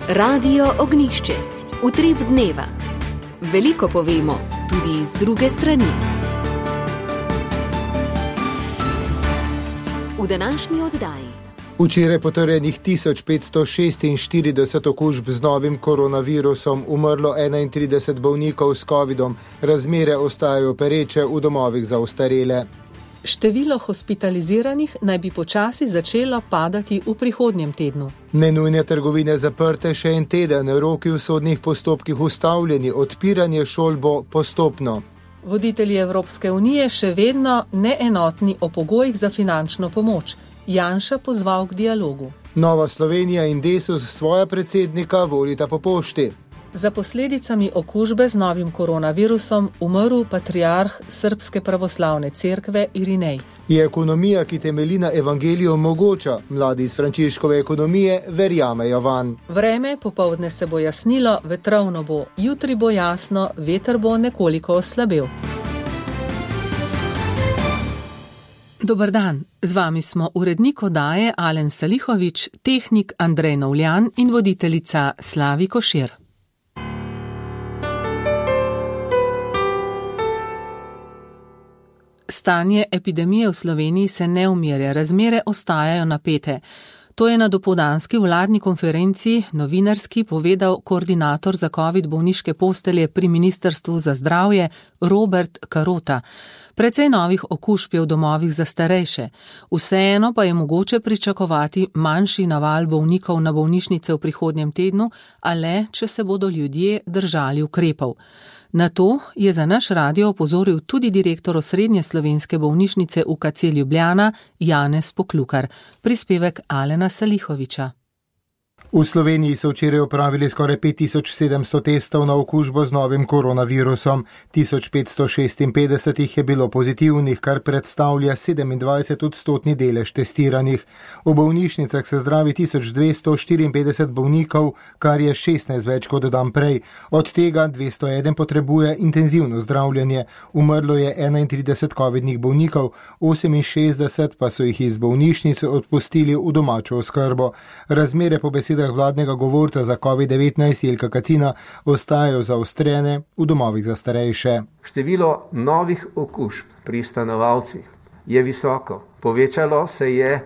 Radio Ognjišče. Utrip dneva. Veliko povemo, tudi iz druge strani. V današnji oddaji. Včeraj potrjenih 1546 okužb z novim koronavirusom, umrlo 31 bolnikov s covidom, razmere ostajajo pereče v domovih za ostarele. Število hospitaliziranih naj bi počasi začelo padati v prihodnjem tednu. Nenujne trgovine zaprte še en teden, roki v sodnih postopkih ustavljeni, odpiranje šol bo postopno. Voditelji Evropske unije še vedno neenotni o pogojih za finančno pomoč. Janša pozval k dialogu. Nova Slovenija in Desus svoja predsednika volita po pošti. Za posledicami okužbe z novim koronavirusom umrl patriarh Srbske pravoslavne cerkve Irinej. Je ekonomija, ki temelji na evangeliju, mogoča? Mladi iz Frančiškove ekonomije verjamejo vanj. Vreme popoldne se bo jasnilo, vetrovno bo, jutri bo jasno, veter bo nekoliko oslabel. Dober dan, z vami smo urednik oddaje Alen Salihovič, tehnik Andrej Novljan in voditeljica Slavi Košir. Stanje epidemije v Sloveniji se ne umirja, razmere ostajajo napete. To je na dopoldanski vladni konferenci novinarski povedal koordinator za covid bolniške postelje pri Ministrstvu za zdravje Robert Karota. Precej novih okužb je v domovih za starejše. Vseeno pa je mogoče pričakovati manjši naval bolnikov na bolnišnice v prihodnjem tednu, a le, če se bodo ljudje držali ukrepov. Na to je za naš radio opozoril tudi direktor osrednje slovenske bolnišnice UKC Ljubljana Janez Poklukar. Prispevek Alena Salihoviča. V Sloveniji so včeraj opravili skoraj 5700 testov na okužbo z novim koronavirusom. 1556 jih je bilo pozitivnih, kar predstavlja 27% delež testiranih. V bolnišnicah se zdravi 1254 bolnikov, kar je 16 več kot dan prej. Od tega 201 potrebuje intenzivno zdravljenje. Umrlo je 31 covidnih bolnikov, 68 pa so jih iz bolnišnice odpustili v domačo oskrbo. Razmere po besedah vladnega govorca za COVID-19 Jelka Kacina ostajajo zaostrene v domovih za starejše. Število novih okužb pri stanovalcih je visoko. Povečalo se je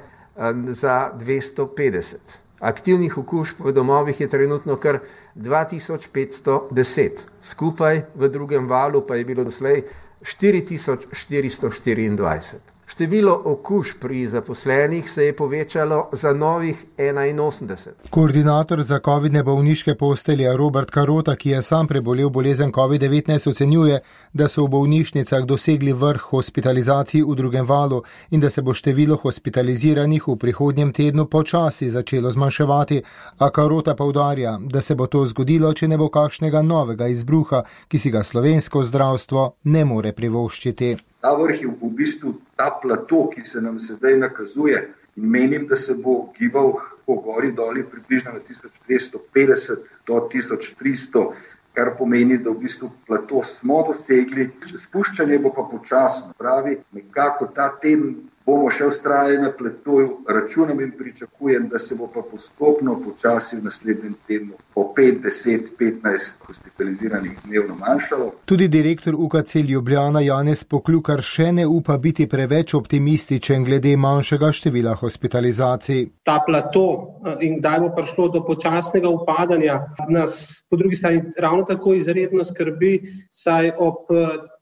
za 250. Aktivnih okužb v domovih je trenutno kar 2510. Skupaj v drugem valu pa je bilo doslej 4424. Število okužb pri zaposlenih se je povečalo za novih 81. Koordinator za covidne bolniške postelje Robert Karota, ki je sam prebolel bolezen COVID-19, ocenjuje, da so v bolnišnicah dosegli vrh hospitalizacij v drugem valu in da se bo število hospitaliziranih v prihodnjem tednu počasi začelo zmanjševati, a Karota poudarja, da se bo to zgodilo, če ne bo kakšnega novega izbruha, ki si ga slovensko zdravstvo ne more privoščiti. Ta vrh je v bistvu ta plato, ki se nam sedaj nakazuje, in menim, da se bo gibal po gori doli približno na 1250 do 1300, kar pomeni, da v bistvu plato smo dosegli. Spuščanje bo pa počasno, pravi, nekako ta teden bomo še vztrajali na platoju, računam in pričakujem, da se bo pa postopno počasi v naslednjem tednu po 5, 10, 15 hospitaliziranih dnevno manjšalo. Tudi direktor UKC Ljubljana Janez Poklukar še ne upa biti preveč optimističen glede manjšega števila hospitalizacij. Ta plato in kdaj bo prišlo do počasnega upadanja nas po drugi strani ravno tako izredno skrbi, saj ob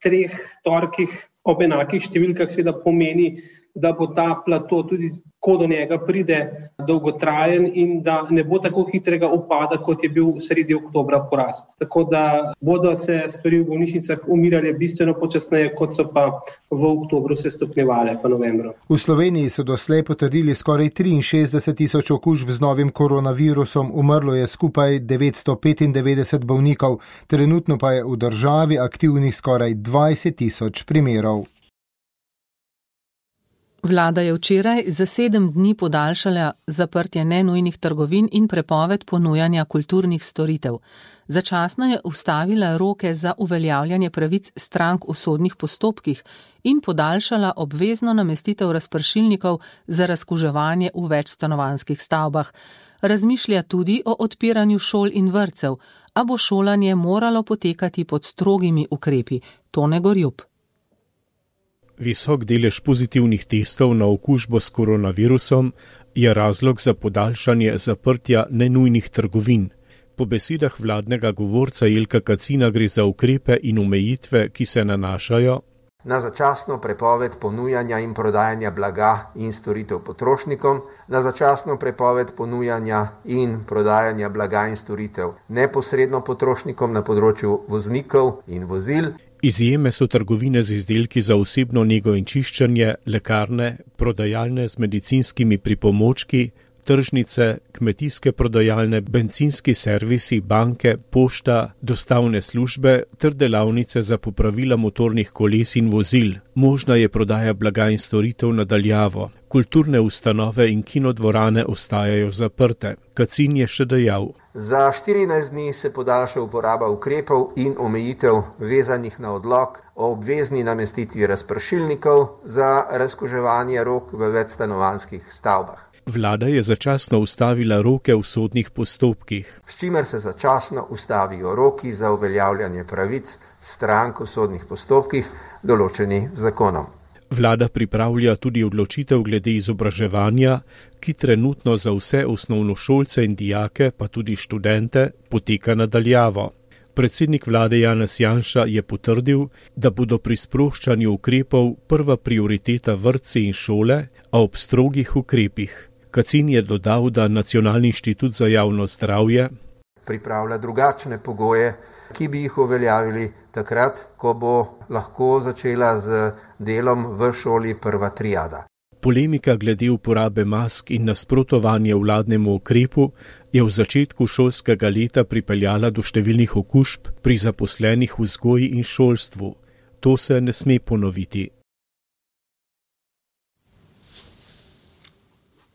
3 torkih ob enakih številkah seveda pomeni, da bo ta plato tudi, ko do njega pride, dolgotrajen in da ne bo tako hitrega upada, kot je bil sredi oktobra porast. Tako da bodo se stvari v bolnišnicah umirale bistveno počasneje, kot so pa v oktobru se stopnjevale, pa novembru. V Sloveniji so doslej potrdili skoraj 63 000 okužb z novim koronavirusom, umrlo je skupaj 995 bolnikov, trenutno pa je v državi aktivnih skoraj 20 000 primerov. Vlada je včeraj za 7 dni podaljšala zaprtje nenujnih trgovin in prepoved ponujanja kulturnih storitev. Začasno je ustavila roke za uveljavljanje pravic strank v sodnih postopkih in podaljšala obvezno namestitev razpršilnikov za razkuževanje v večstanovanjskih stavbah. Razmišlja tudi o odpiranju šol in vrtcev, a bo šolanje moralo potekati pod strogimi ukrepi. Tone Gorjup. Visok delež pozitivnih testov na okužbo s koronavirusom je razlog za podaljšanje zaprtja nenujnih trgovin. Po besedah vladnega govorca Jelka Kacina gre za ukrepe in omejitve, ki se nanašajo na začasno prepoved ponujanja in prodajanja blaga in storitev potrošnikom, na začasno prepoved ponujanja in prodajanja blaga in storitev neposredno potrošnikom na področju voznikov in vozil. Izjeme so trgovine z izdelki za osebno nego in čiščenje, lekarne, prodajalne z medicinskimi pripomočki, tržnice, kmetijske prodajalne, bencinski servisi, banke, pošta, dostavne službe ter delavnice za popravila motornih koles in vozil. Možna je prodaja blaga in storitev na daljavo. Kulturne ustanove in kinodvorane ostajajo zaprte. Kacin je še dejal: Za 14 dni se podaljša uporaba ukrepov in omejitev vezanih na odlok o obvezni namestitvi razpršilnikov za razkuževanje rok v večstanovanjskih stavbah. Vlada je začasno ustavila roke v sodnih postopkih, s čimer se začasno ustavijo roki za uveljavljanje pravic strank v sodnih postopkih, določeni z zakonom. Vlada pripravlja tudi odločitev glede izobraževanja, ki trenutno za vse osnovnošolce in dijake, pa tudi študente, poteka na daljavo. Predsednik vlade Janez Janša je potrdil, da bodo pri sproščanju ukrepov prva prioriteta vrtci in šole, a ob strogih ukrepih. Kacin je dodal, da Nacionalni inštitut za javno zdravje pripravlja drugačne pogoje, ki bi jih uveljavili takrat, ko bo lahko začela z delom v šoli prva triada. Polemika glede uporabe mask in nasprotovanje vladnemu ukrepu je v začetku šolskega leta pripeljala do številnih okužb pri zaposlenih v vzgoji in šolstvu. To se ne sme ponoviti.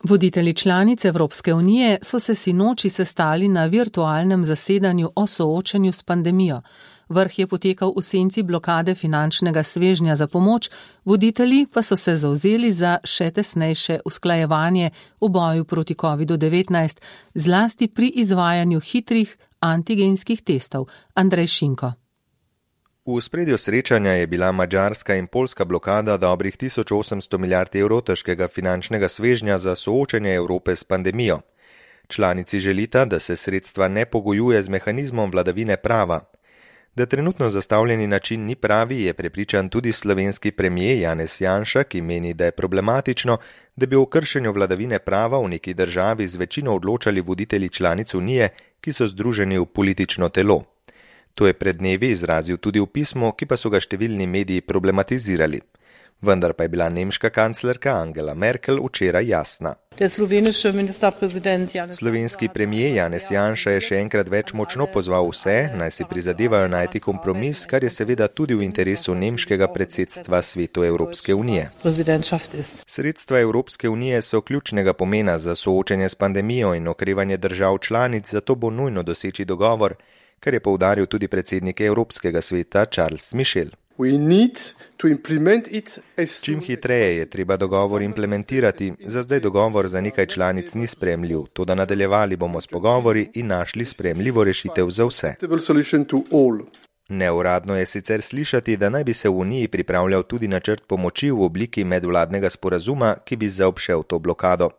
Voditelji članic Evropske unije so se sinoči sestali na virtualnem zasedanju o soočanju s pandemijo. Vrh je potekal v senci blokade finančnega svežnja za pomoč, voditelji pa so se zavzeli za še tesnejše usklajevanje v boju proti COVID-19, zlasti pri izvajanju hitrih antigenskih testov. Andrej Šinko. V ospredju srečanja je bila madžarska in poljska blokada dobrih 1800 milijard evrov težkega finančnega svežnja za soočanje Evrope s pandemijo. Članici želita, da se sredstva ne pogojuje z mehanizmom vladavine prava. Da trenutno zastavljeni način ni pravi, je prepričan tudi slovenski premier Janez Janša, ki meni, da je problematično, da bi o kršenju vladavine prava v neki državi z večino odločali voditelji članic Unije, ki so združeni v politično telo. To je pred dnevi izrazil tudi v pismu, ki pa so ga številni mediji problematizirali. Vendar pa je bila nemška kanclerka Angela Merkel včeraj jasna. Slovenski premier Janez Janša je še enkrat več močno pozval vse, naj si prizadevajo najti kompromis, kar je seveda tudi v interesu nemškega predsedstva Svetu Evropske unije. Sredstva Evropske unije so ključnega pomena za soočanje s pandemijo in okrevanje držav članic, zato bo nujno doseči dogovor, kar je poudaril tudi predsednik Evropskega sveta Charles Michel. Čim hitreje je treba dogovor implementirati, za zdaj dogovor za nekaj članic ni sprejemljiv, toda nadaljevali bomo s pogovori in našli sprejemljivo rešitev za vse. Neuradno je sicer slišati, da naj bi se v Uniji pripravljal tudi načrt pomoči v obliki medvladnega sporazuma, ki bi zaobšel to blokado.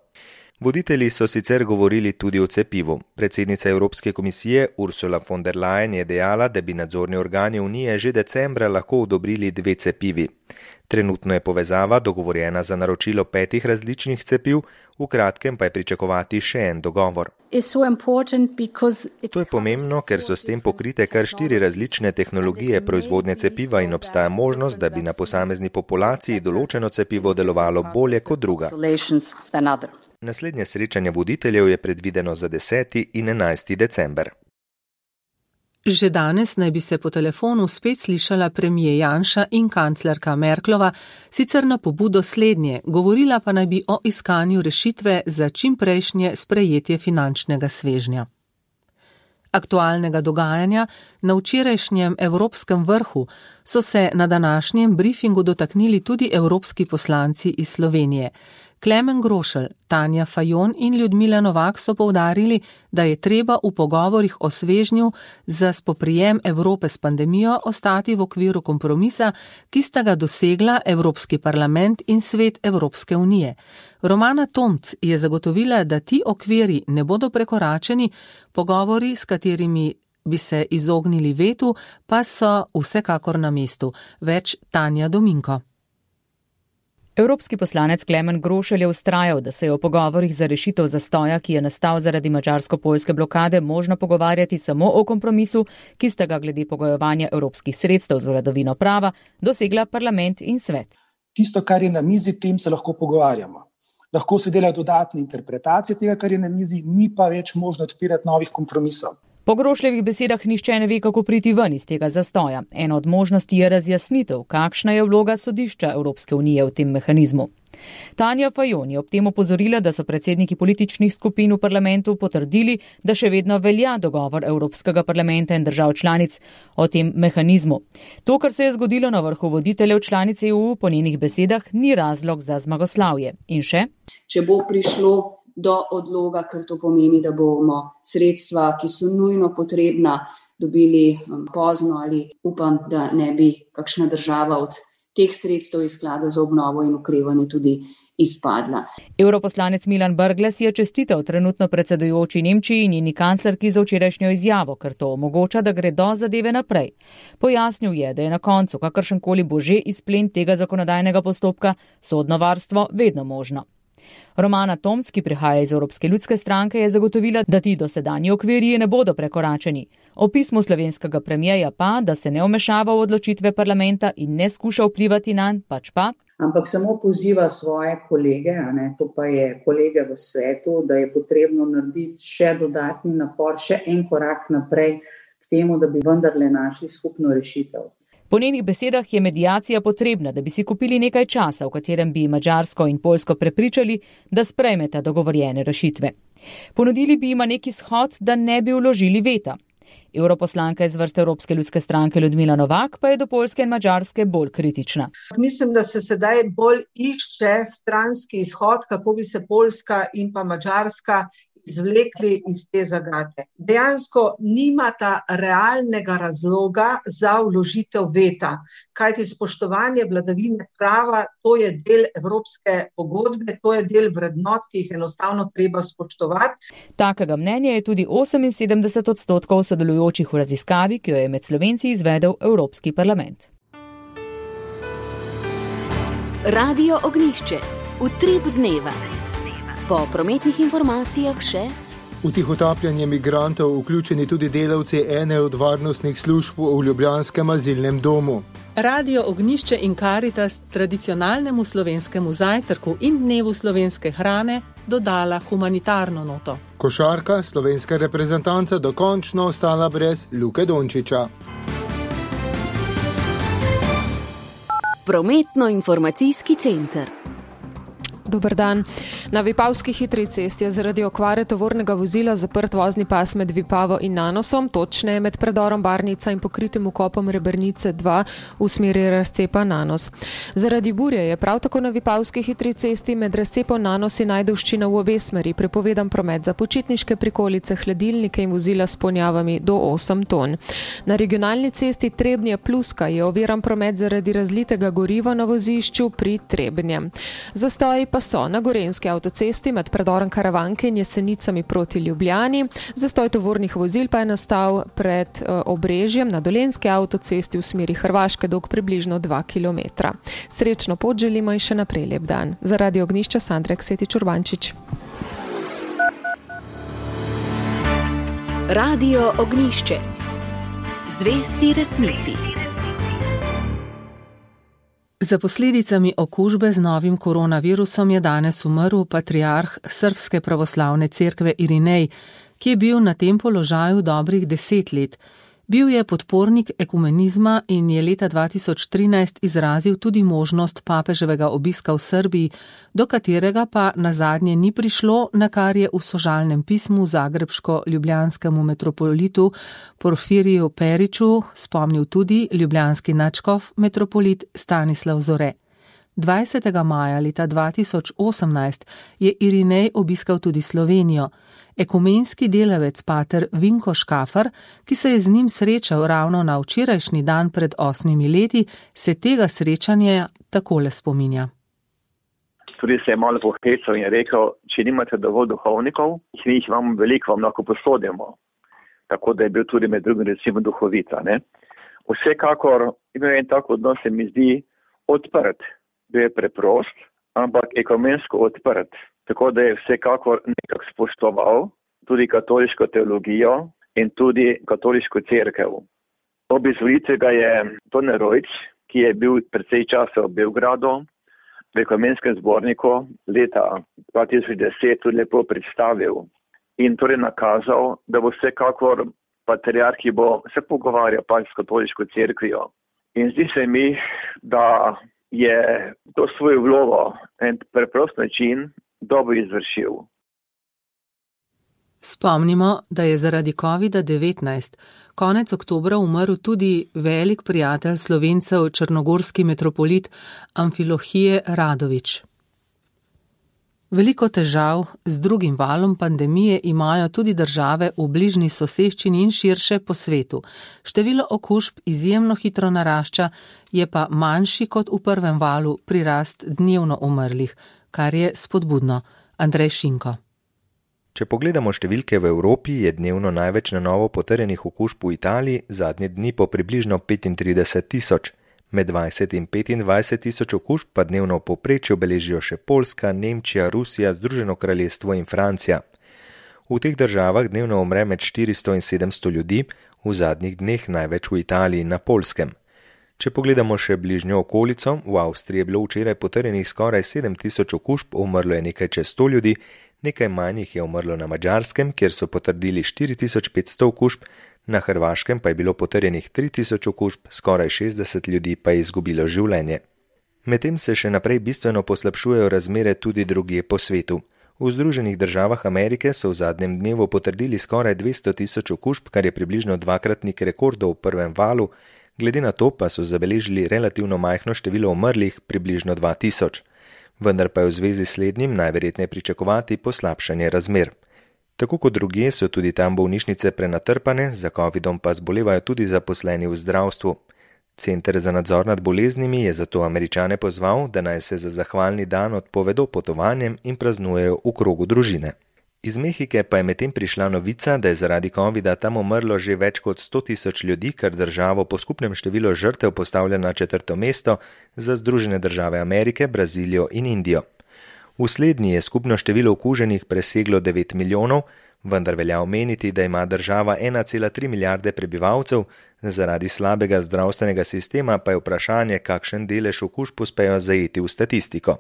Voditelji so sicer govorili tudi o cepivu. Predsednica Evropske komisije Ursula von der Leyen je dejala, da bi nadzorni organi Unije že decembra lahko odobrili 2 cepivi. Trenutno je povezava dogovorjena za naročilo 5 različnih cepiv, v kratkem pa je pričakovati še en dogovor. To je pomembno, ker so s tem pokrite kar 4 različne tehnologije proizvodnje cepiva in obstaja možnost, da bi na posamezni populaciji določeno cepivo delovalo bolje kot druga. Naslednje srečanje voditeljev je predvideno za 10. in 11. december. Že danes naj bi se po telefonu spet slišala premijer Janša in kanclerka Merklova, sicer na pobudo slednje, govorila pa naj bi o iskanju rešitve za čimprejšnje sprejetje finančnega svežnja. Aktualnega dogajanja na včerajšnjem evropskem vrhu so se na današnjem briefingu dotaknili tudi evropski poslanci iz Slovenije. Klemen Grošelj, Tanja Fajon in Ljudmila Novak so poudarili, da je treba v pogovorih o svežnju za spoprijem Evrope s pandemijo ostati v okviru kompromisa, ki sta ga dosegla Evropski parlament in Svet Evropske unije. Romana Tomc je zagotovila, da ti okviri ne bodo prekoračeni, pogovori, s katerimi bi se izognili vetu, pa so vsekakor na mestu. Več Tanja Dominko. Evropski poslanec Klemen Grošelj je vztrajal, da se je o pogovorih za rešitev zastoja, ki je nastal zaradi madžarsko-poljske blokade, možno pogovarjati samo o kompromisu, ki sta ga glede pogojevanja evropskih sredstev z vladavino prava dosegla parlament in svet. Tisto, kar je na mizi, tem se lahko pogovarjamo. Lahko se delajo dodatne interpretacije tega, kar je na mizi, ni pa več možno odpirati novih kompromisov. Po Grošljevih besedah nihče ne ve, kako priti ven iz tega zastoja. Ena od možnosti je razjasnitev, kakšna je vloga sodišča Evropske unije v tem mehanizmu. Tanja Fajon je ob tem opozorila, da so predsedniki političnih skupin v parlamentu potrdili, da še vedno velja dogovor Evropskega parlamenta in držav članic o tem mehanizmu. To, kar se je zgodilo na vrhu voditeljev članic EU, po njenih besedah ni razlog za zmagoslavje. In še? Če bo prišlo do odloga, ker to pomeni, da bomo sredstva, ki so nujno potrebna, dobili pozno ali upam, da ne bi kakšna država od teh sredstev iz sklada za obnovo in okrevanje tudi izpadla. Europoslanec Milan Brglez je čestital trenutno predsedujoči Nemčiji in njeni kanclerki za včerajšnjo izjavo, ker to omogoča, da gredo zadeve naprej. Pojasnil je, da je na koncu kakršenkoli bo že izplen tega zakonodajnega postopka sodno varstvo vedno možno. Romana Tomc, ki prihaja iz Evropske ljudske stranke, je zagotovila, da ti dosedanji okvirji ne bodo prekoračeni. O pismu slovenskega premijeja pa, da se ne vmešava v odločitve parlamenta in ne skuša vplivati nanj, pač pa. Ampak samo poziva svoje kolege, to pa je kolege v svetu, da je potrebno narediti še dodatni napor, še en korak naprej k temu, da bi vendarle našli skupno rešitev. Po njenih besedah je mediacija potrebna, da bi si kupili nekaj časa, v katerem bi Madžarsko in Poljsko prepričali, da sprejmeta dogovorjene rešitve. Ponudili bi jima neki shod, da ne bi vložili veta. Europoslanka iz vrste Evropske ljudske stranke Ljudmila Novak pa je do Poljske in Madžarske bolj kritična. Mislim, da se sedaj bolj išče stranski izhod, kako bi se Poljska in pa Madžarska izvlekli iz te zagate. Dejansko nimata realnega razloga za vložitev veta, kajti spoštovanje vladavine prava, to je del evropske pogodbe, to je del vrednot, ki jih enostavno treba spoštovati. Takega mnenja je tudi 78% sodelujočih v raziskavi, ki jo je med Slovenci izvedel Evropski parlament. Radio Ognjišče. Utrip dneva. Po prometnih informacijah še. V tihotapljenje migrantov vključeni tudi delavci ene od varnostnih služb v ljubljanskem azilnem domu. Radio Ognjišče in Karitas tradicionalnemu slovenskemu zajtrku in dnevu slovenske hrane dodala humanitarno noto. Košarka, slovenska reprezentanca dokončno ostala brez Luke Dončiča. Prometno-informacijski center. Dober dan. Na Vipavski hitri cesti je zaradi okvare tovornega vozila zaprt vozni pas med Vipavo in Nanosom, točneje med predorom Barnica in pokritim vkopom Rebernice 2 v smeri razcepa Nanos. Zaradi burje je prav tako na Vipavski hitri cesti med razcepom Nanos in Ajdovščina v obe smeri prepovedan promet za počitniške prikolice, hladilnike in vozila s ponjavami do 8 ton. Na regionalni cesti Trebnje-Pluska je oviran promet zaradi razlitega goriva na vozišču pri Trebnjem. Zastoji pa so na Gorenjski avtocesti med predorom Karavanke in Jesenicami proti Ljubljani. Zastoj tovornih vozil pa je nastal pred Obrežjem na Dolenjski avtocesti v smeri Hrvaške dolg približno 2 km. Srečno pot želimo in še naprej lep dan. Za Radio Ognjišče Sandra Ksetič Urbančič. Radio Ognjišče. Zvesti resnici. Za posledicami okužbe z novim koronavirusom je danes umrl patriarh Srbske pravoslavne cerkve Irinej, ki je bil na tem položaju dobrih 10 let. Bil je podpornik ekumenizma in je leta 2013 izrazil tudi možnost papeževega obiska v Srbiji, do katerega pa nazadnje ni prišlo, na kar je v sožalnem pismu zagrebško-ljubljanskemu metropolitu Porfiriju Periču spomnil tudi ljubljanski nadškof metropolit Stanislav Zore. 20. maja leta 2018 je Irinej obiskal tudi Slovenijo. Ekumenski delavec pater Vinko Škafar, ki se je z njim srečal ravno na včerajšnji dan pred 8 leti, se tega srečanja takole spominja. Tudi se je malo pohecal in rekel, če nimate dovolj duhovnikov, jih vam veliko vam lahko posodimo. Tako da je bil tudi med drugim recimo duhovita. Ne? Vsekakor imel en tak odnos, se mi zdi, odprt. Bil je preprost, ampak ekumensko odprt. Tako da je vsekakor nekako spoštoval tudi katoliško teologijo in tudi katoliško cerkev. Ob izvolitvi ga je Tone Rojc, ki je bil precej časa v Beogradu, v ekumenskem zborniku leta 2010 tudi lepo predstavil in torej nakazal, da bo vsekakor patriarh, ki bo se pogovarjal pač s katoliško cerkvijo. In zdi se mi, da je to svojo vlogo en preprost način dobro izvršil. Spomnimo, da je zaradi COVID-19 konec oktobra umrl tudi velik prijatelj Slovencev, črnogorski metropolit Amfilohije Radović. Veliko težav z drugim valom pandemije imajo tudi države v bližnji soseščini in širše po svetu. Število okužb izjemno hitro narašča, je pa manjši kot v prvem valu prirast dnevno umrlih, kar je spodbudno. Andrej Šinko. Če pogledamo številke v Evropi, je dnevno največ na novo potrjenih okužb v Italiji, zadnje dni po približno 35 tisoč. Med 20 in 25 tisoč okužb pa dnevno v povprečju beležijo še Poljska, Nemčija, Rusija, Združeno kraljestvo in Francija. V teh državah dnevno umre med 400 in 700 ljudi, v zadnjih dneh največ v Italiji in na Poljskem. Če pogledamo še bližnjo okolico, v Avstriji je bilo včeraj potrjenih skoraj 7 tisoč okužb, umrlo je nekaj čez 100 ljudi, nekaj manj jih je umrlo na Madžarskem, kjer so potrdili 4500 okužb, na Hrvaškem pa je bilo potrjenih 3000 okužb, skoraj 60 ljudi pa je izgubilo življenje. Medtem se še naprej bistveno poslabšujejo razmere tudi drugje po svetu. V Združenih državah Amerike so v zadnjem dnevu potrdili skoraj 200 tisoč okužb, kar je približno dvakratnik rekordov v prvem valu, glede na to pa so zabeležili relativno majhno število umrlih, približno 2000. Vendar pa je v zvezi s slednjim najverjetneje pričakovati poslabšanje razmer. Tako kot drugje so tudi tam bolnišnice prenatrpane, za covidom pa zbolevajo tudi zaposleni v zdravstvu. Center za nadzor nad boleznimi je zato Američane pozval, da naj se za zahvalni dan odpovedo potovanjem in praznujejo v krogu družine. Iz Mehike pa je medtem prišla novica, da je zaradi covida tam umrlo že več kot 100 tisoč ljudi, kar državo po skupnem številu žrtev postavlja na 4. mesto za Združene države Amerike, Brazilijo in Indijo. V slednji je skupno število okuženih preseglo 9 milijonov, vendar velja omeniti, da ima država 1,3 milijarde prebivalcev, zaradi slabega zdravstvenega sistema pa je vprašanje, kakšen delež okužb uspejo zajeti v statistiko.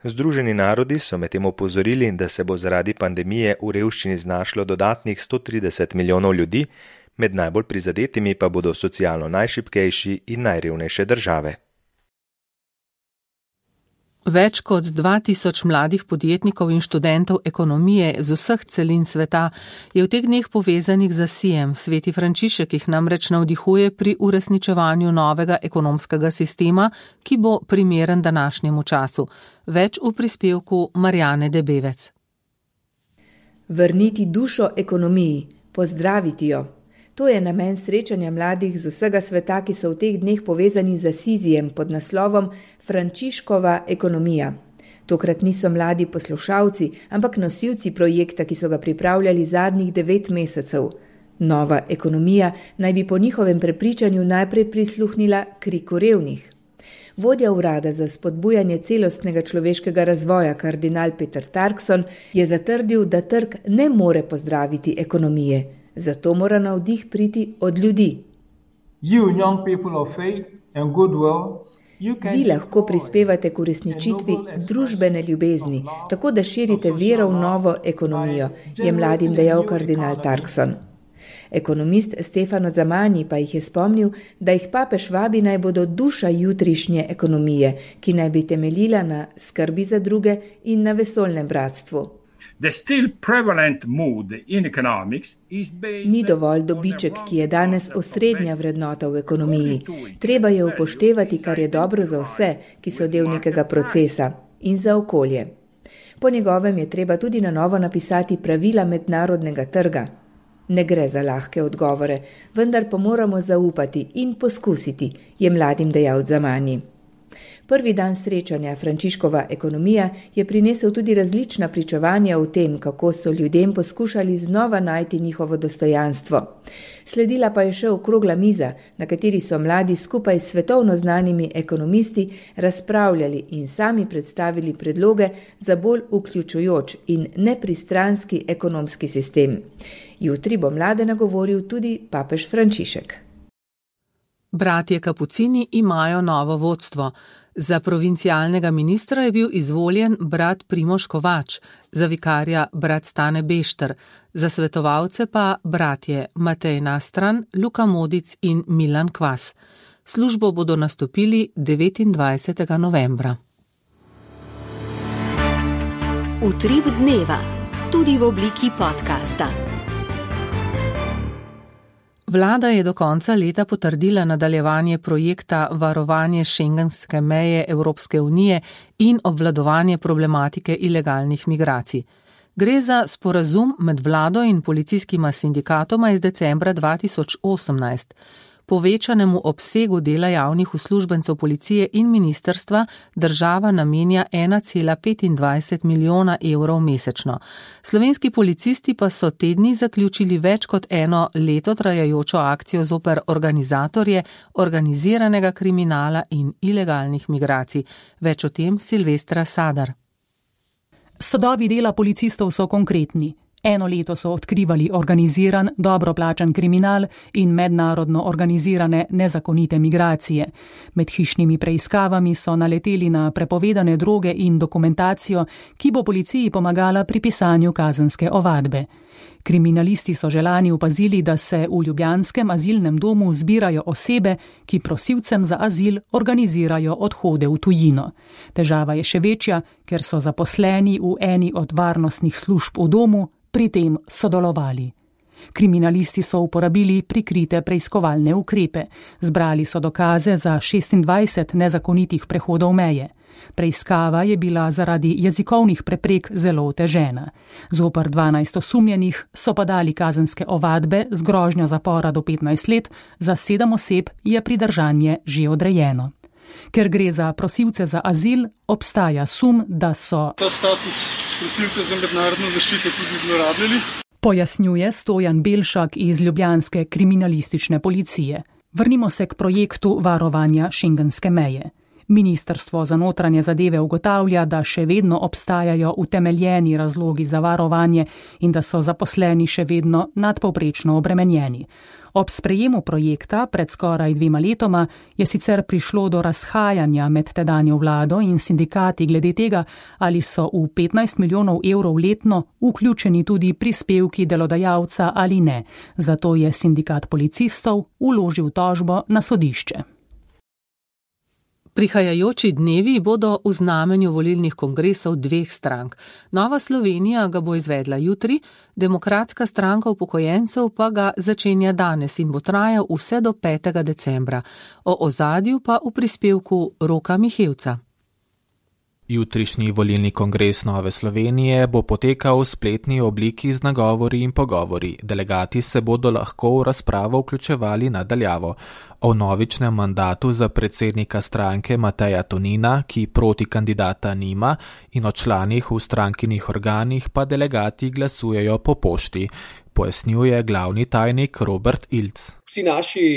Združeni narodi so medtem opozorili, da se bo zaradi pandemije v revščini znašlo dodatnih 130 milijonov ljudi, med najbolj prizadetimi pa bodo socialno najšibkejši in najrevnejše države. Več kot 2000 mladih podjetnikov in študentov ekonomije z vseh celin sveta je v teh dneh povezanih z Asijem. Sveti Frančišek jih namreč navdihuje pri uresničevanju novega ekonomskega sistema, ki bo primeren današnjemu času. Več v prispevku Marjane Debevec. Vrniti dušo ekonomiji, pozdraviti jo. To je namen srečanja mladih z vsega sveta, ki so v teh dneh povezani z Asizijem pod naslovom Frančiškova ekonomija. Tokrat niso mladi poslušalci, ampak nosilci projekta, ki so ga pripravljali zadnjih 9 mesecev. Nova ekonomija naj bi po njihovem prepričanju najprej prisluhnila kriku revnih. Vodja urada za spodbujanje celostnega človeškega razvoja, kardinal Peter Tarkson, je zatrdil, da trg ne more pozdraviti ekonomije. Zato mora navdih priti od ljudi. Vi lahko prispevate k uresničitvi družbene ljubezni, tako da širite vero v novo ekonomijo, je mladim dejal kardinal Tarkson. Ekonomist Stefano Zamani pa jih je spomnil, da jih papež vabi naj bodo duša jutrišnje ekonomije, ki naj bi temeljila na skrbi za druge in na vesoljnem bratstvu. Ni dovolj dobiček, ki je danes osrednja vrednota v ekonomiji. Treba je upoštevati, kar je dobro za vse, ki so del nekega procesa, in za okolje. Po njegovem je treba tudi na novo napisati pravila mednarodnega trga. Ne gre za lahke odgovore, vendar pa moramo zaupati in poskusiti, je mladim dejal Zamani. Prvi dan srečanja Frančiškova ekonomija je prinesel tudi različna pričevanja o tem, kako so ljudem poskušali znova najti njihovo dostojanstvo. Sledila pa je še okrogla miza, na kateri so mladi skupaj s svetovno znanimi ekonomisti razpravljali in sami predstavili predloge za bolj vključujoč in nepristranski ekonomski sistem. Jutri bo mlade nagovoril tudi papež Frančišek. Bratje Kapucini imajo novo vodstvo. Za provincialnega ministra je bil izvoljen brat Primož Kovač, za vikarja brat Stane Bešter, za svetovalce pa bratje Matej Nastran, Luka Modic in Milan Kvas. Službo bodo nastopili 29. novembra. Utrip dneva, tudi v obliki podcasta. Vlada je do konca leta potrdila nadaljevanje projekta Varovanje šengenske meje Evropske unije in obvladovanje problematike ilegalnih migracij. Gre za sporazum med vlado in policijskima sindikatoma iz decembra 2018. Povečanemu obsegu dela javnih uslužbencev policije in ministrstva država namenja 1,25 milijona evrov mesečno. Slovenski policisti pa so te dni zaključili več kot eno leto trajajočo akcijo zoper organizatorje organiziranega kriminala in ilegalnih migracij. Več o tem Silvestra Sadar. Sadovi dela policistov so konkretni. Eno leto so odkrivali organiziran, dobro plačan kriminal in mednarodno organizirane nezakonite migracije. Med hišnimi preiskavami so naleteli na prepovedane droge in dokumentacijo, ki bo policiji pomagala pri pisanju kazenske ovadbe. Kriminalisti so že lani opazili, da se v ljubljanskem azilnem domu zbirajo osebe, ki prosilcem za azil organizirajo odhode v tujino. Težava je še večja, ker so zaposleni v eni od varnostnih služb v domu pri tem sodelovali. Kriminalisti so uporabili prikrite preiskovalne ukrepe. Zbrali so dokaze za 26 nezakonitih prehodov meje. Preiskava je bila zaradi jezikovnih preprek zelo otežena. Zoper 12 osumljenih so pa dali kazenske ovadbe z grožnjo zapora do 15 let, za 7 oseb je pridržanje že odrejeno. Ker gre za prosilce za azil, obstaja sum, da so ta status prosilce za mednarodno zaščito tudi zlorabljali. Pojasnjuje Stojan Belšak iz ljubljanske kriminalistične policije. Vrnimo se k projektu varovanja šengenske meje. Ministrstvo za notranje zadeve ugotavlja, da še vedno obstajajo utemeljeni razlogi za varovanje in da so zaposleni še vedno nadpovprečno obremenjeni. Ob sprejemu projekta pred skoraj 2 letoma je sicer prišlo do razhajanja med tedanjo vlado in sindikati glede tega, ali so v 15 milijonov evrov letno vključeni tudi prispevki delodajalca ali ne. Zato je sindikat policistov vložil tožbo na sodišče. Prihajajoči dnevi bodo v znamenju volilnih kongresov 2 strank. Nova Slovenija ga bo izvedla jutri, Demokratska stranka upokojencev pa ga začenja danes in bo trajal vse do 5. decembra. O ozadju pa v prispevku Roka Mihevca. Jutrišnji volilni kongres Nove Slovenije bo potekal v spletni obliki z nagovori in pogovori. Delegati se bodo lahko v razpravo vključevali nadaljavo. O novičnem mandatu za predsednika stranke Mateja Tonina, ki proti kandidata nima, in o članih v strankinih organih pa delegati glasujejo po pošti, pojasnjuje glavni tajnik Robert Ilc. Vsi naši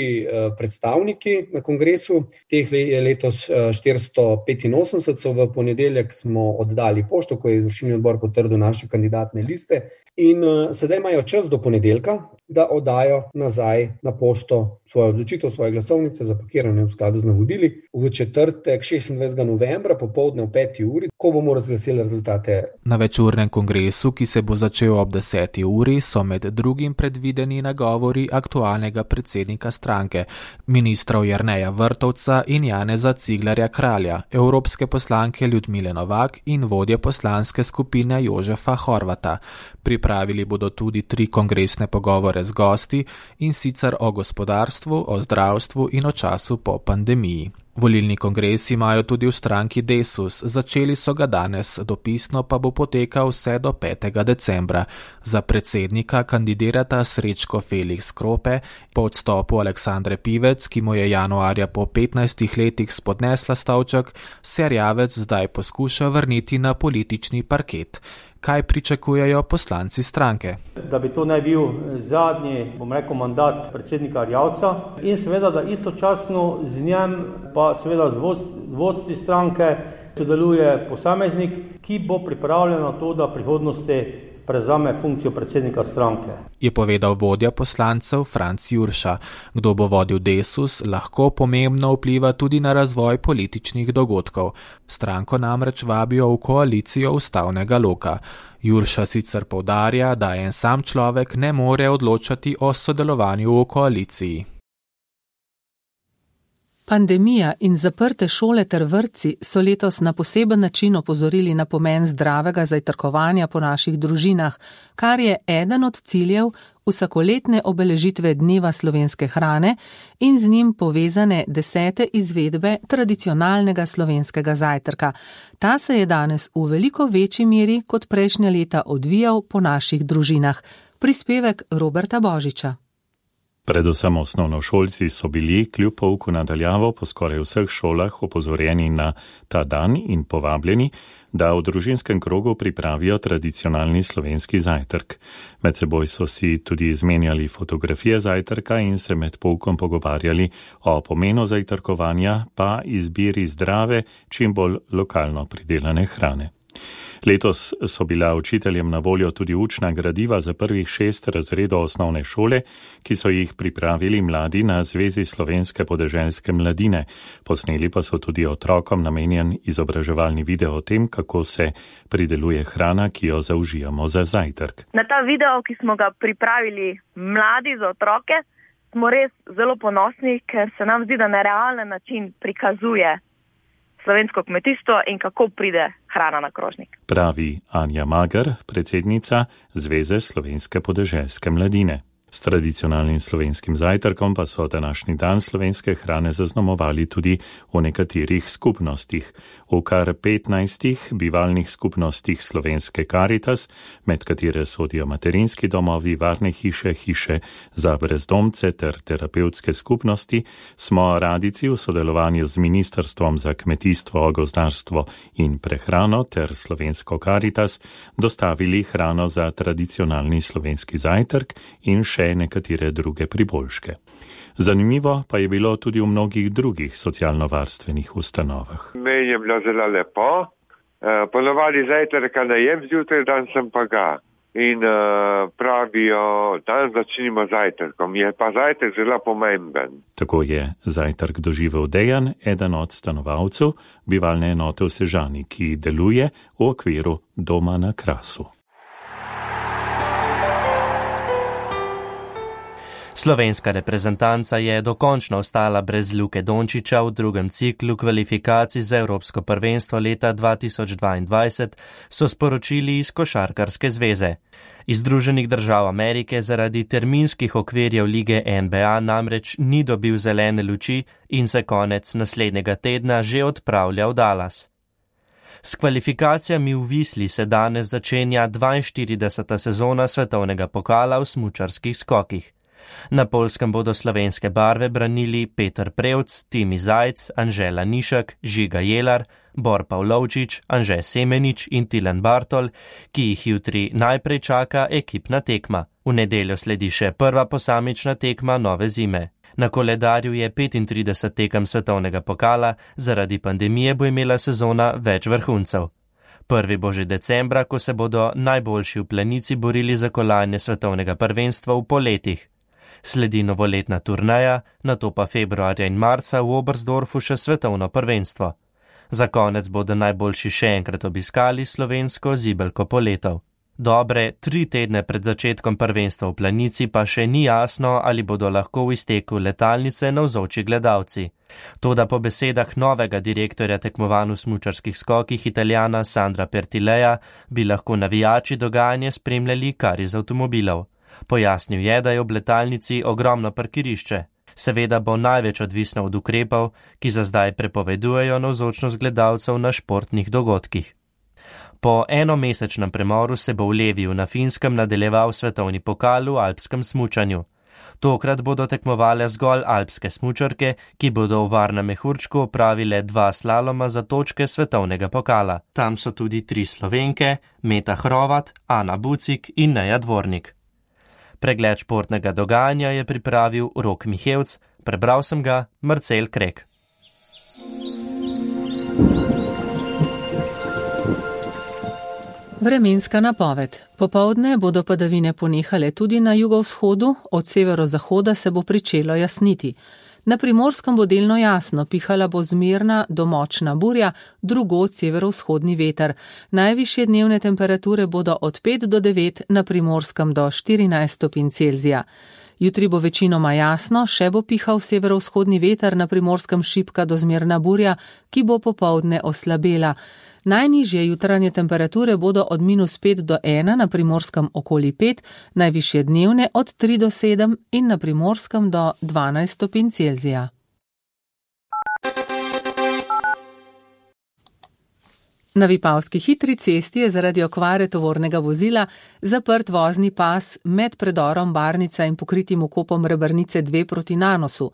predstavniki na kongresu, teh je letos 485, so v ponedeljek smo oddali pošto, ko je izvršilni odbor potrdil naše kandidatne liste. In sedaj imajo čas do ponedeljka, da oddajo nazaj na pošto svojo odločitev, svoje glasovnice, zapakirane v skladu z navodili v četrtek 26. novembra popoldne v 5. uri, ko bomo razglasili rezultate. Na večurnem kongresu, ki se bo začel ob 10. uri, so med drugim predvideni nagovori aktualnega predsednika stranke, ministrov Jerneja Vrtovca in Janeza Ciglerja Kralja, evropske poslanke Ljudmile Novak in vodje poslanske skupine Jožefa Horvata. Pripravili bodo tudi 3 kongresne pogovore z gosti, in sicer o gospodarstvu, o zdravstvu in o času po pandemiji. Volilni kongres imajo tudi v stranki Desus, začeli so ga danes, dopisno pa bo potekal vse do 5. decembra. Za predsednika kandidirata Srečko Felix Krope, po odstopu Aleksandre Pivec, ki mu je januarja po 15 letih spodnesla stolček, se Erjavec zdaj poskuša vrniti na politični parket. Kaj pričakujejo poslanci stranke? Da bi to naj bil zadnji, mandat predsednika Erjavca in seveda, da istočasno z njem pa seveda z vodstvi stranke sodeluje posameznik, ki bo pripravljen na to, da v prihodnosti prevzame funkcijo predsednika stranke. Je povedal vodja poslancev Franc Jurša. Kdo bo vodil Desus, lahko pomembno vpliva tudi na razvoj političnih dogodkov. Stranko namreč vabijo v koalicijo ustavnega loka. Jurša sicer poudarja, da en sam človek ne more odločati o sodelovanju v koaliciji. Pandemija in zaprte šole ter vrtci so letos na poseben način opozorili na pomen zdravega zajtrkovanja po naših družinah, kar je eden od ciljev vsakoletne obeležitve Dneva slovenske hrane in z njim povezane 10. izvedbe tradicionalnega slovenskega zajtrka. Ta se je danes v veliko večji meri kot prejšnja leta odvijal po naših družinah. Prispevek Roberta Božiča. Predvsem osnovnošolci so bili kljub pouku na daljavo po skoraj vseh šolah opozorjeni na ta dan in povabljeni, da v družinskem krogu pripravijo tradicionalni slovenski zajtrk. Med seboj so si tudi izmenjali fotografije zajtrka in se med poukom pogovarjali o pomenu zajtrkovanja pa izbiri zdrave, čim bolj lokalno pridelane hrane. Letos so bila učiteljem na voljo tudi učna gradiva za prvih 6 razredov osnovne šole, ki so jih pripravili mladi na Zvezi slovenske podeželske mladine. Posneli pa so tudi otrokom namenjen izobraževalni video o tem, kako se prideluje hrana, ki jo zaužijamo za zajtrk. Na ta video, ki smo ga pripravili mladi za otroke, smo res zelo ponosni, ker se nam zdi, da na realen način prikazuje slovensko kmetijstvo in kako pride hrana na krožnik. Pravi Anja Mager, predsednica Zveze slovenske podeželske mladine. S tradicionalnim slovenskim zajtrkom pa so današnji dan slovenske hrane zaznamovali tudi v nekaterih skupnostih. V kar 15 bivalnih skupnostih slovenske Karitas, med katere sodijo materinski domovi, varne hiše, hiše za brezdomce ter terapevtske skupnosti, smo radijci v sodelovanju z Ministrstvom za kmetijstvo, gozdarstvo in prehrano ter slovensko Karitas dostavili hrano za tradicionalni slovenski zajtrk in še nekatere druge priboljške. Zanimivo pa je bilo tudi v mnogih drugih socialno-varstvenih ustanovah. Meni je bilo zelo lepo. Ponovadi zajtrka ne jem zjutraj, dan sem pa ga. In pravijo, dan začnimo zajtrkom. Je pa zajtrk zelo pomemben. Tako je zajtrk doživel Dejan, eden od stanovalcev bivalne enote v Sežani, ki deluje v okviru Doma na Krasu. Slovenska reprezentanca je dokončno ostala brez Luke Dončića v drugem ciklu kvalifikacij za Evropsko prvenstvo leta 2022, so sporočili iz Košarkarske zveze. Iz Združenih držav Amerike zaradi terminskih okvirjev lige NBA namreč ni dobil zelene luči in se konec naslednjega tedna že odpravlja v Dallas. S kvalifikacijami v Visli se danes začenja 42. sezona svetovnega pokala v smučarskih skokih. Na Poljskem bodo slovenske barve branili Peter Prevc, Timi Zajc, Anžela Nišek, Žiga Jelar, Bor Pavlovčič, Anže Semenič in Tilen Bartol, ki jih jutri najprej čaka ekipna tekma. V nedeljo sledi še prva posamična tekma nove zime. Na koledarju je 35 tekem svetovnega pokala, zaradi pandemije bo imela sezona več vrhuncev. Prvi bo že decembra, ko se bodo najboljši v planici borili za kolajne svetovnega prvenstva v poletih. Sledi novoletna turneja, nato pa februarja in marca v Oberstdorfu še svetovno prvenstvo. Za konec bodo najboljši še enkrat obiskali slovensko zibelko poletov. Dobre 3 tedne pred začetkom prvenstva v planici pa še ni jasno, ali bodo lahko v izteku letalnice navzoči gledalci. Toda po besedah novega direktorja tekmovanj v smučarskih skokih Italijana Sandra Pertileja bi lahko navijači dogajanje spremljali kar iz avtomobilov. Pojasnil je, da je ob letalnici ogromno parkirišče. Seveda bo največ odvisno od ukrepov, ki za zdaj prepovedujejo navzočnost gledalcev na športnih dogodkih. Po enomesečnem premoru se bo v Leviju na Finskem nadaljeval svetovni pokal v alpskem smučanju. Tokrat bodo tekmovale zgolj alpske smučarke, ki bodo v Varnem mehurčku opravile 2 slaloma za točke svetovnega pokala. Tam so tudi 3 Slovenke, Meta Hrovat, Ana Bucik in Neja Dvornik. Pregled športnega dogajanja je pripravil Rok Mihevc, prebral sem ga Marcel Krek. Vremenska napoved. Popoldne bodo padavine ponehale tudi na jugovzhodu, od severozahoda se bo pričelo jasniti. Na Primorskem bo delno jasno, pihala bo zmerna do močna burja, drugod severovzhodni veter. Najvišje dnevne temperature bodo od 5 do 9, na Primorskem do 14 stopinj Celzija. Jutri bo večinoma jasno, še bo pihal severovzhodni veter, na Primorskem šibka do zmerna burja, ki bo popoldne oslabela. Najnižje jutranje temperature bodo od -5 do 1, na Primorskem okoli 5, najvišje dnevne od 3 do 7 in na Primorskem do 12 stopinj Celzija. Na Vipavski hitri cesti je zaradi okvare tovornega vozila zaprt vozni pas med predorom Barnica in pokritim vkopom Rebrnice 2 proti Nanosu.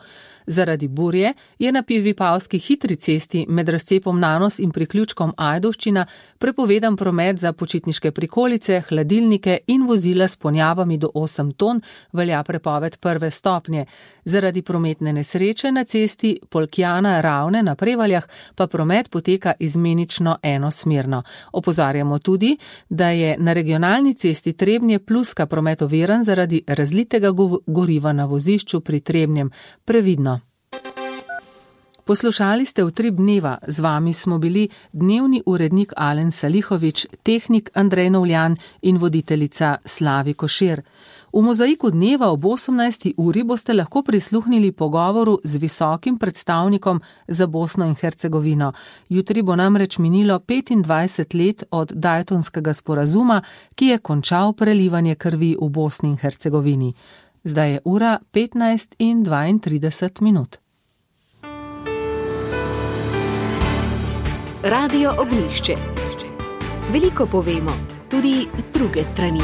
Zaradi burje je na Vipavski hitri cesti med razcepom Nanos in priključkom Ajdovščina prepovedan promet za počitniške prikolice, hladilnike in vozila s ponjavami do 8 ton, velja prepoved 1. stopnje. Zaradi prometne nesreče na cesti Polkjana Ravne na Prevaljah pa promet poteka izmenično enosmerno. Opozarjamo tudi, da je na regionalni cesti Trebnje Pluska promet oviran zaradi razlitega goriva na vozišču pri Trebnjem. Previdno. Poslušali ste Utrip dneva, z vami smo bili dnevni urednik Alen Salihovič, tehnik Andrej Novljan in voditeljica Slavi Košir. V Mozaiku dneva ob 18. uri boste lahko prisluhnili pogovoru z visokim predstavnikom za Bosno in Hercegovino. Jutri bo namreč minilo 25 let od Daytonskega sporazuma, ki je končal prelivanje krvi v Bosni in Hercegovini. Zdaj je ura 15:32. Radio Ognjišče. Veliko povemo, tudi z druge strani.